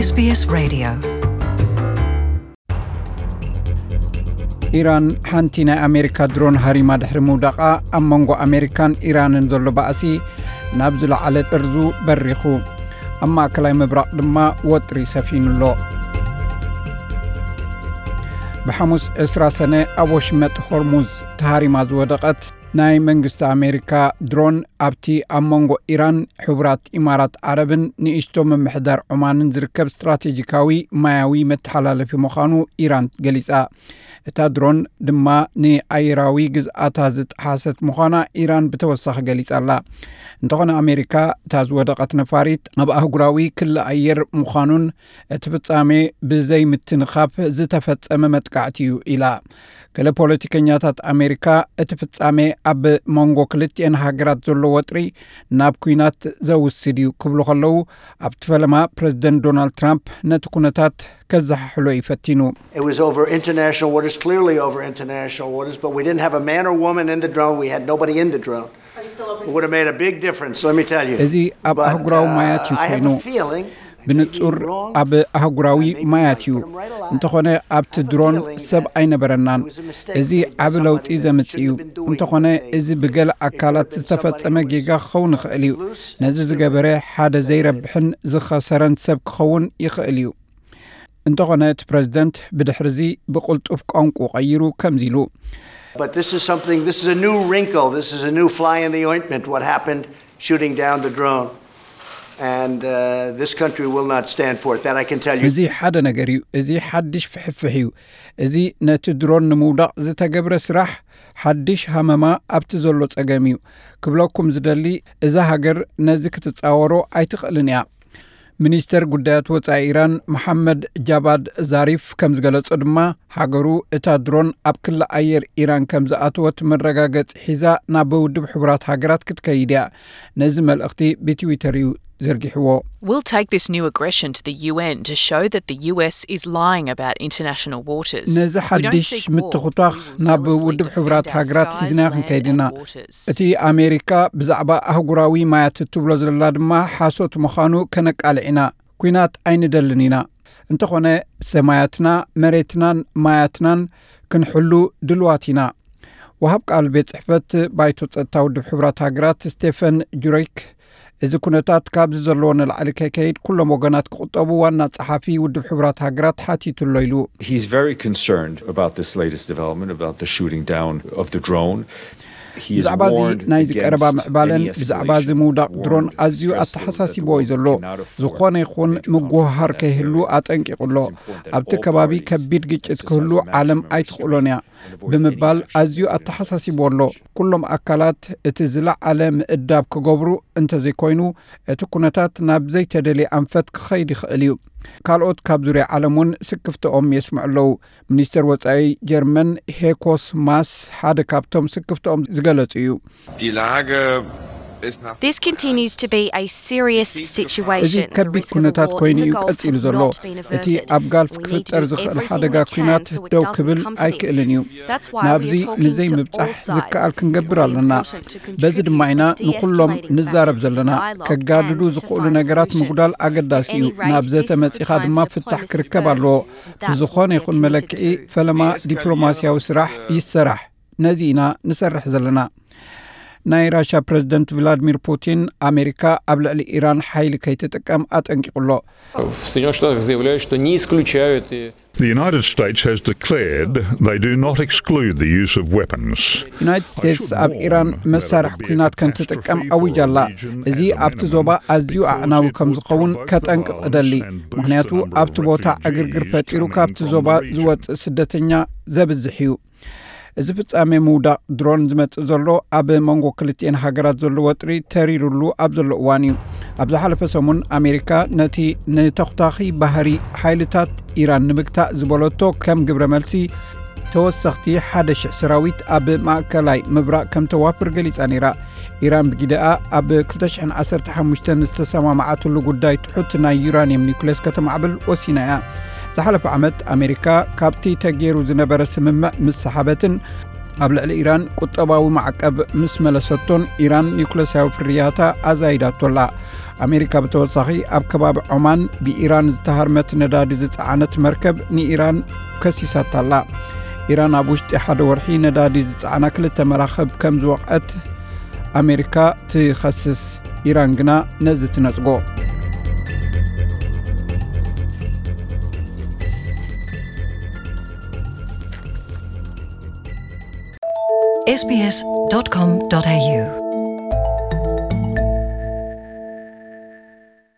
SBS Radio. ኢራን ሓንቲ ናይ ኣሜሪካ ድሮን ሃሪማ ድሕሪ ምውዳቓ፣ ኣብ መንጎ ኣሜሪካን ኢራንን ዘሎ ባእሲ ናብ ዝለዓለ ጥርዙ በሪኹ። ኣብ ማእከላይ ምብራቕ ድማ ወጥሪ ሰፊኑ ኣሎ። ብሓሙስ ዕስራ ሰነ ኣብ ወሽመጥ ሆርሙዝ ተሃሪማ ዝወደቐት ናይ መንግስቲ ኣሜሪካ ድሮን፣ ኣብቲ ኣብ መንጎ ኢራን፣ ሕቡራት ኢማራት ዓረብን ንእሽቶ ምምሕዳር ዑማንን ዝርከብ ስትራቴጂካዊ ማያዊ መተሓላለፊ ምዃኑ ኢራን ገሊጻ። እታ ድሮን ድማ ንኣየራዊ ግዝኣታ ዝጠሓሰት ምዃና ኢራን ብተወሳኺ ገሊጻ ኣላ። እንተኾነ ኣሜሪካ፣ እታ ዝወደቐት ነፋሪት ኣብ ኣህጉራዊ ክሊ ኣየር ምዃኑን እቲ ፍጻሜ ብዘይምትንኻፍ ዝተፈጸመ መጥቃዕቲ እዩ ኢላ። ገለ ፖለቲከኛታት ኣሜሪካ፣ እቲ ፍጻሜ ኣብ መንጎ ክልቲኤን ሃገራት ዘሎ ወጥሪ ናብ ኲናት ዘውስድ እዩ ክብሉ ከለዉ፣ ኣብቲ ፈለማ ፕረዚደንት ዶናልድ ትራምፕ ነቲ ኩነታት ከዘሓሕሎ እዩ ፈቲኑ። It was over international waters, clearly over international waters, but we didn't have a man or woman in the drone. We had nobody in the drone. It would have made a big difference, let me tell you. እዚ ኣብ ኣህጉራዊ ማያት እዩ ኮይኑ። ብንጹር ኣብ ኣህጉራዊ ማያት እዩ። እንተኾነ ኣብቲ ድሮን ሰብ ኣይነበረናን። እዚ ዓቢ ለውጢ ዘምጽእ እዩ። እንተኾነ እዚ ብገለ ኣካላት ዝተፈጸመ ጌጋ ክኸውን ይኽእል እዩ። ነዚ ዝገበረ ሓደ ዘይረብሕን ዝኸሰረን ሰብ ክኸውን ይኽእል እዩ። እንተኾነ እቲ ፕረዚደንት ብድሕርዚ ብቕልጡፍ ቋንቁ ቀይሩ ከምዚ ኢሉ። But this is something, this is a new wrinkle, this is a new fly in the ointment, what happened shooting down the drone. And uh, this country will not stand for it, that I can tell you. እዚ ሓደ ነገር እዩ። እዚ ሓድሽ ፍሕፍሕ እዩ። እዚ ነቲ ድሮን ንምውዳቕ ዝተገብረ ስራሕ ሓድሽ ሃመማ ኣብቲ ዘሎ ጸገም እዩ። ክብለኩም ዝደሊ፣ እዛ ሃገር ነዚ ክትጻወሮ ኣይትኽእልን እያ። ሚኒስተር ጉዳያት ወጻኢ ኢራን መሓመድ ጃባድ ዛሪፍ ከም ዝገለጾ ድማ፣ ሃገሩ እታ ድሮን ኣብ ክሊ ኣየር ኢራን ከም ዝኣተወት መረጋገጺ ሒዛ ናብ ውድብ ሕቡራት ሃገራት ክትከይድ እያ። ነዚ መልእኽቲ ብትዊተር እዩ ዘርጊሕዎ። We'll take this new aggression to the U N to show that the U S is lying about international waters. ነዚ ሓድሽ ምትኹቷኽ ናብ ውድብ ሕቡራት ሃገራት ሒዝና ክንከይድ ኢና። እቲ ኣሜሪካ ብዛዕባ ኣህጉራዊ ማያት እትብሎ ዘላ ድማ ሓሶት ምዃኑ ከነቃልዕ ኢና። ኲናት ኣይንደልን ኢና። እንተኾነ ሰማያትና፣ መሬትናን ማያትናን ክንሕሉ ድልዋት ኢና። ወሃብ ቃል ቤት ጽሕፈት ባይቶ ጸጥታ ውድብ ሕቡራት ሃገራት ስቴፈን ጁሬክ፣ እዚ ኩነታት ካብዚ ዘለዎ ንላዕሊ ከይከይድ ኩሎም ወገናት ክቑጠቡ ዋና ጸሓፊ ውድብ ሕቡራት ሃገራት ሓቲቱ ኣሎ ኢሉ። He's very concerned about this latest development, about the shooting down of the drone. He has ብዛዕባ እዚ warned ናይዚ ቀረባ against ምዕባለን any ብዛዕባ እዚ escalation, ምውዳቕ ድሮን warned ኣዝዩ stressfully that the ኣተሓሳሲብዎ world እዩ ዘሎ። cannot afford ዝኾነ ይኹን major ምጉህሃር conflict in the ከይህሉ area. ኣጠንቂቑ ኣሎ። It's important that ኣብቲ all ከባቢ parties ከቢድ ግጭት exercise ክህሉ maximum ዓለም restraint ኣይትኽእሎን እያ and avoid ብምባል any action ኣዝዩ that could ኣተሓሳሲብዎ ኣሎ። ኩሎም ኣካላት እቲ ዝለዓለ ምእዳብ ክገብሩ እንተዘይኮይኑ፣ እቲ ኩነታት ናብ ዘይተደልየ ኣንፈት ክኸይድ ይኽእል እዩ። ካልኦት ካብ ዙርያ ዓለም እውን ስክፍትኦም የስምዑ ኣለዉ። ሚኒስተር ወጻኢ ጀርመን ሄኮስ ማስ ሓደ ካብቶም ስክፍትኦም ዝገለጹ እዩ። Die Lage ist nach This continues to be a serious እዚ situation. The ከቢድ risk of a ኩነታት war ኮይኑ in the እዩ Gulf ቀጺሉ has ዘሎ። not been እቲ averted. ኣብ ጋልፍ We need to ክፍጠር do ዝኽእል everything ሓደጋ we can ኲናት so it ደው doesn't ክብል come to this. ኣይክእልን እዩ። That's why we ናብዚ are talking to ንዘይምብጻሕ all sides ዝከኣል to ክንገብር bring ኣለና። Putin to በዚ ድማ ኢና contribute to ንኹሎም de-escalating ንዛረብ factor to ዘለና። dialogue ከጋድዱ and to ዝኽእሉ find ነገራት solutions. ምጉዳል ኣገዳሲ At እዩ። any rate, ናብ this is the ዘተመጺኻ time ድማ for ፍታሕ diplomacy ክርከብ first. ኣለዎ። That's ብዝኾነ what we're ይኹን committed መለክዒ to. ፈለማ De-escalation ዲፕሎማሲያዊ is, ስራሕ uh, ይሰራሕ። ነዚ ኢና ንሰርሕ ዘለና። ናይ ራሻ ፕረዚደንት ቭላድሚር ፑቲን፣ ኣሜሪካ ኣብ ልዕሊ ኢራን ሓይሊ ከይትጥቀም ኣጠንቂቑ ኣሎ። В Соединённых Штатах заявляют, что не исключают и The United States has declared they do not exclude the use of weapons. ዩናይትድ ስቴትስ ኣብ ኢራን መሳርሒ ኲናት ከምትጥቀም ኣዊጃ ኣላ። እዚ ኣብቲ ዞባ ኣዝዩ ኣዕናዊ ከም ዝኸውን ከጠንቅቕ እደሊ። ምኽንያቱ ኣብቲ ቦታ ዕግርግር ፈጢሩ ካብቲ ዞባ ዝወጽእ ስደተኛ ዘብዝሕ እዩ። እዚ ፍጻሜ ምውዳቕ ድሮን ዝመጽእ ዘሎ ኣብ መንጎ ክልቲኤን ሃገራት ዘሎ ወጥሪ ተሪሩሉ ኣብ ዘሎ እዋን እዩ። ኣብ ዝሓለፈ ሰሙን ኣሜሪካ ነቲ ንተኹታኺ ባህሪ ሓይልታት ኢራን ንምግታእ ዝበለቶ ከም ግብረ መልሲ ተወሰኽቲ ሓደ ሽሕ ሰራዊት ኣብ ማእከላይ ምብራቕ ከም ተዋፍር ገሊጻ ነይራ። ኢራን ብጊደኣ ኣብ ክልተ ሽሕን ዓሰርተ ሓሙሽተን ዝተሰማማዓትሉ ጉዳይ ትሑት ናይ ዩራንየም ኒውክሌስ ከተማዕብል ወሲና እያ። ዝሓለፈ ዓመት ኣሜሪካ ካብቲ ተገይሩ ዝነበረ ስምምዕ ምስ ሰሓበትን ኣብ ልዕሊ ኢራን ቁጠባዊ ማዕቀብ ምስ መለሰቶን ኢራን ኒውክለሳዊ ፍርያታ ኣዛይዳቶላ። ኣሜሪካ ብተወሳኺ ኣብ ከባቢ ዖማን ብኢራን ዝተሃርመት ነዳዲ ዝጸዓነት መርከብ ንኢራን ከሲሳታላ። ኢራን ኣብ ውሽጢ ሓደ ወርሒ ነዳዲ ዝጸዓና ክልተ መራኽብ ከም ዝወቕዐት ኣሜሪካ ትኸስስ። ኢራን ግና ነዚ ትነጽጎ። sbs.com.au